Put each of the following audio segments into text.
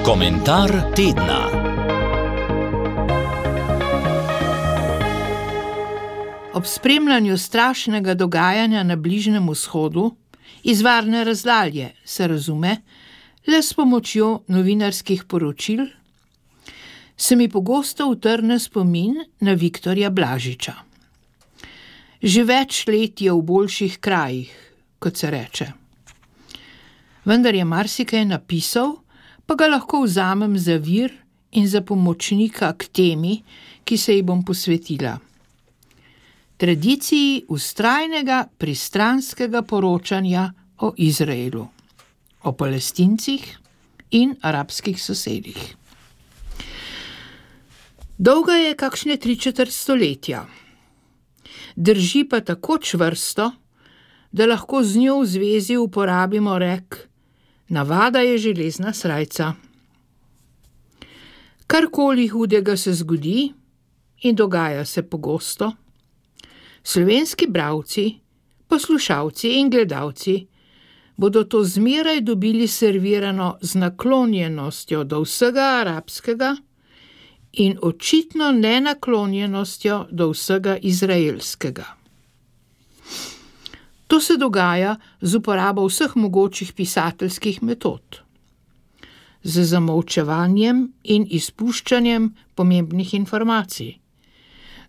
Komentar tedna. Ob spremljanju strašnega dogajanja na Bližnjem vzhodu, iz varne razdalje, se razume, le s pomočjo novinarskih poročil, se mi pogosto utrne spomin na Viktorja Blažiča. Že več let je v boljših krajih, kot se reče. Vendar je marsikaj napisal, pa ga lahko vzamem za vir in za pomočnika k temi, ki se ji bom posvetila. Tradiciji vztrajnega pristranskega poročanja o Izraelu, o Palestincih in arabskih sosedih. Dolga je kakšne 3/4 stoletja. Drži pa tako čvrsto, da lahko z njo v zvezi uporabimo rek: navada je železna srajca. Karkoli hudega se zgodi, in dogaja se pogosto, slovenski bralci, poslušalci in gledalci bodo to zmeraj dobili servirano z naklonjenostjo do vsega arabskega in očitno nenaklonjenostjo do vsega izraelskega. To se dogaja z uporabo vseh mogočih pisateljskih metod, z zamolčevanjem in izpuščanjem pomembnih informacij,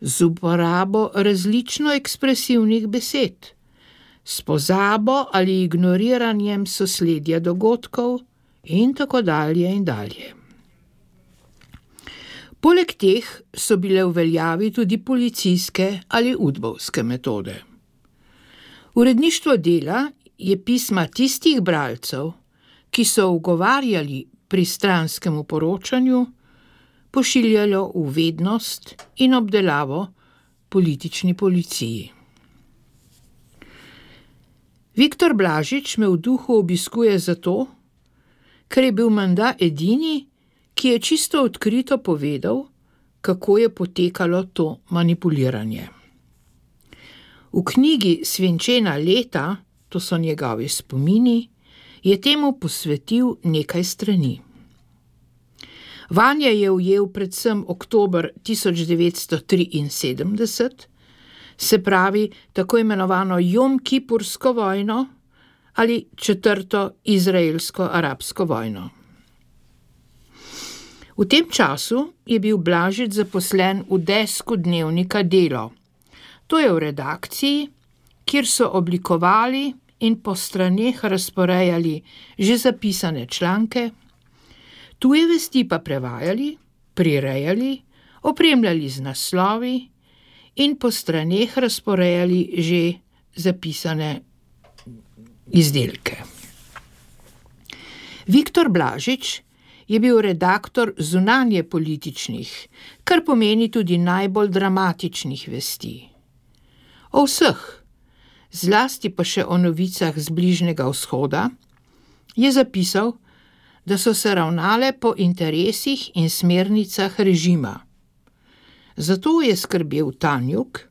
z uporabo različno ekspresivnih besed, s pozabo ali ignoriranjem sosledja dogodkov in tako dalje in dalje. Poleg teh so bile v veljavi tudi policijske ali udbovske metode. Uredništvo Dela je pisma tistih bralcev, ki so ugovarjali pristranskemu poročanju, pošiljalo v vednost in obdelavo politični policiji. Viktor Blažič me v duhu obiskuje zato, ker je bil menda edini, ki je čisto odkrito povedal, kako je potekalo to manipuliranje. V knjigi Svinčena leta, to so njegovi spomini, je temu posvetil nekaj strani. Vanje je ujel predvsem oktober 1973, se pravi tako imenovano Jom-Kipursko vojno ali četrto izraelsko-arabsko vojno. V tem času je bil Blažič zaposlen v desku dnevnika Delo. To je v redakciji, kjer so oblikovali in po straneh razporejali že zapisane članke, tuje vesti pa prevajali, prirejali, opremljali z naslovi in po straneh razporejali že zapisane izdelke. Viktor Blažič je bil redaktor zunanje političnih, kar pomeni tudi najbolj dramatičnih vesti. O vseh, zlasti pa še o novicah z Bližnjega vzhoda, je zapisal, da so se ravnale po interesih in smernicah režima. Zato je skrbel Tanjug,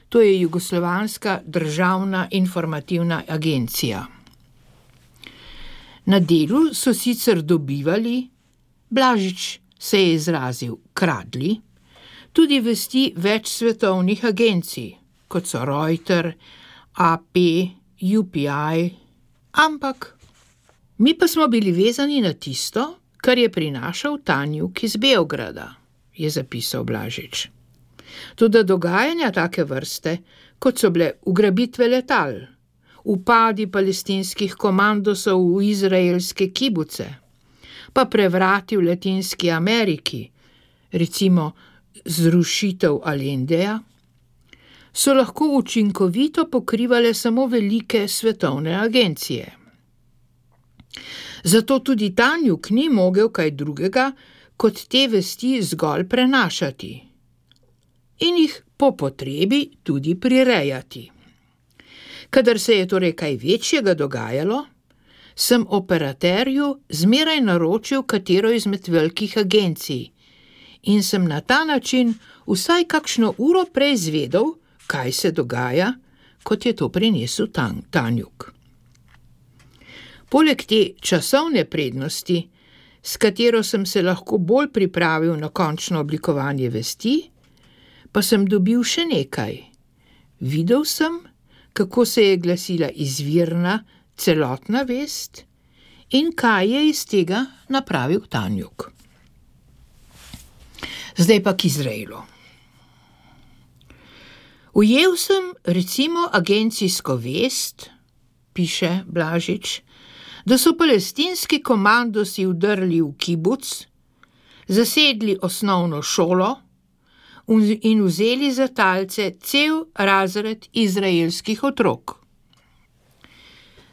to je Jugoslovanska državna informativna agencija. Na Delu so sicer dobivali, Blažič se je izrazil, kradli, tudi vesti več svetovnih agencij, kot so Reuters, AP, UPI, ampak mi pa smo bili vezani na tisto, kar je prinašal Tanjug iz Beograda, je zapisal Blažič. Toda dogajanja take vrste, kot so bile ugrabitve letal, upadi palestinskih komandosov v izraelske kibuce, pa prevrati v Latinski Ameriki, recimo zrušitev Allendeja, so lahko učinkovito pokrivale samo velike svetovne agencije. Zato tudi Tanjug ni mogel kaj drugega, kot te vesti zgolj prenašati in jih po potrebi tudi prirejati. Kadar se je torej kaj večjega dogajalo, sem operaterju zmeraj naročil katero izmed velikih agencij in sem na ta način vsaj kakšno uro prej izvedel, kaj se dogaja, kot je to prinesel Tanjug. Poleg te časovne prednosti, s katero sem se lahko bolj pripravil na končno oblikovanje vesti, pa sem dobil še nekaj. Videl sem, kako se je glasila izvirna, celotna vest in kaj je iz tega napravil Tanjuk. Zdaj pa k Izraelu. Ujel sem recimo agencijsko vest, piše Blažič, da so palestinski komandosi vdrli v kibuc, zasedli osnovno šolo in vzeli za talce cel razred izraelskih otrok.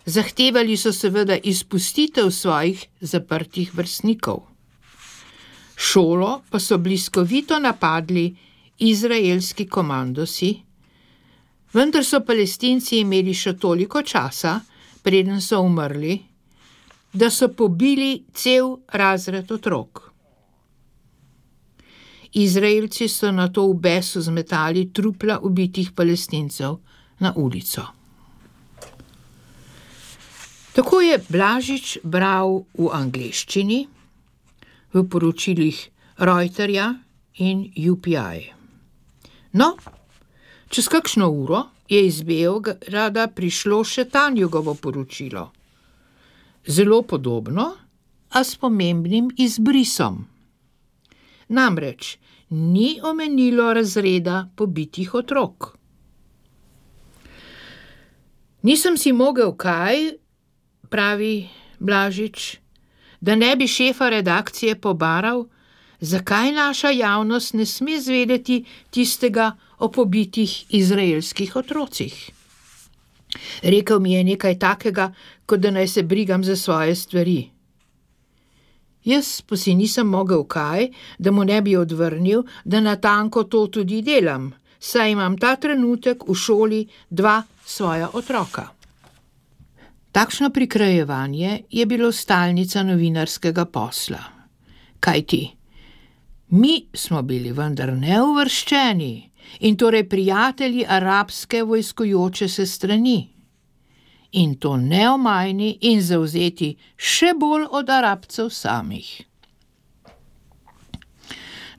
Zahtevali so seveda izpustitev svojih zaprtih vrstnikov. Šolo pa so bliskovito napadli izraelski komandosi, vendar so Palestinci imeli še toliko časa, preden so umrli, da so pobili cel razred otrok. Izraelci so nato v besu zmetali trupla ubitih Palestincev na ulico. Tako je Blažič bral v angleščini, v poročilih Reuterja in UPI. No, čez kakšno uro je iz Beograda prišlo še Tanjugovo poročilo. Zelo podobno, a s pomembnim izbrisom. Namreč ni omenilo razreda pobitih otrok. Nisem si mogel kaj, pravi Blažič, da ne bi šefa redakcije pobaral, zakaj naša javnost ne sme zvedeti tistega o pobitih izraelskih otrocih. Rekel mi je nekaj takega, kot da naj se brigam za svoje stvari. Jaz pa si nisem mogel kaj, da mu ne bi odvrnil, da natanko to tudi delam, saj imam ta trenutek v šoli 2 svoja otroka. Takšno prikrajevanje je bilo stalnica novinarskega posla. Kajti, mi smo bili vendar neuvrščeni in torej prijatelji arabske vojskujoče se strani. In to neomajni in zavzeti še bolj od Arabcev samih.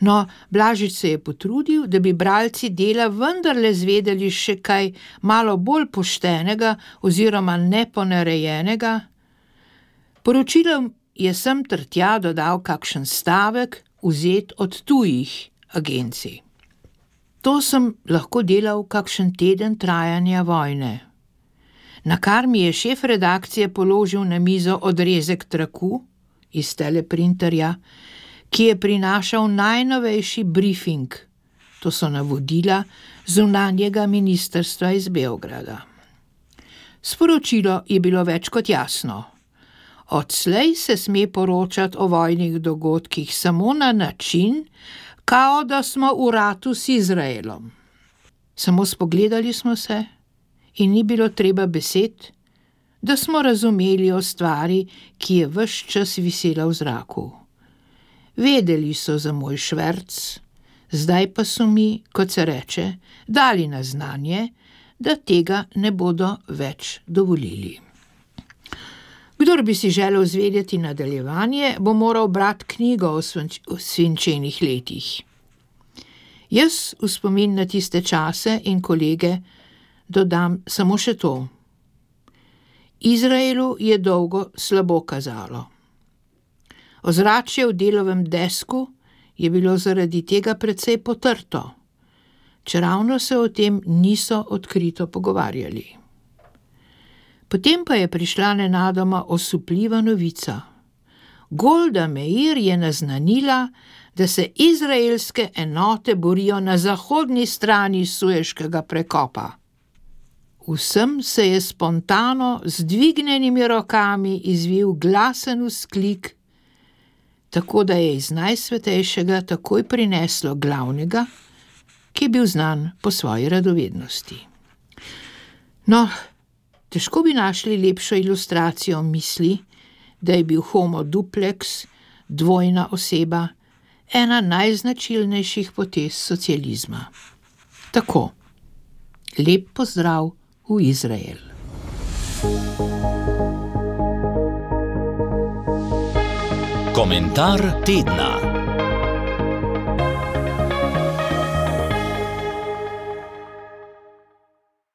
No, Blažič se je potrudil, da bi bralci Dela vendarle zvedeli še kaj malo bolj poštenega oziroma neponarejenega. Poročilom je sem ter tja dodal kakšen stavek, vzet od tujih agencij. To sem lahko delal kakšen teden trajanja vojne. Nakar mi je šef redakcije položil na mizo odrezek traku iz teleprinterja, ki je prinašal najnovejši briefing, to so navodila zunanjega ministrstva iz Beograda. Sporočilo je bilo več kot jasno. Odslej se sme poročati o vojnih dogodkih samo na način, kao da smo v ratu s Izraelom. Samo spogledali smo se in ni bilo treba besed, da smo razumeli o stvari, ki je ves čas visela v zraku. Vedeli so za moj šverc, zdaj pa so mi, kot se reče, dali na znanje, da tega ne bodo več dovolili. Kdor bi si želel zvedeti nadaljevanje, bo moral brati knjigo o svinčenih letih. Jaz v spomin na tiste čase in kolege dodam samo še to. Izraelu je dolgo slabo kazalo. Ozračje v Delovem desku je bilo zaradi tega precej potrto, čeravno se o tem niso odkrito pogovarjali. Potem pa je prišla nenadoma osupljiva novica. Golda Meir je naznanila, da se izraelske enote borijo na zahodni strani Sueškega prekopa. Vsem se je spontano z dvignjenimi rokami izvil glasen vzklik, tako da je iz Najsvetejšega takoj prineslo glavnega, ki je bil znan po svoji radovednosti. No, težko bi našli lepšo ilustracijo misli, da je bil homo duplex, dvojna oseba, ena najznačilnejših potez socializma. Tako, lep pozdrav v Izrael. Komentar tedna.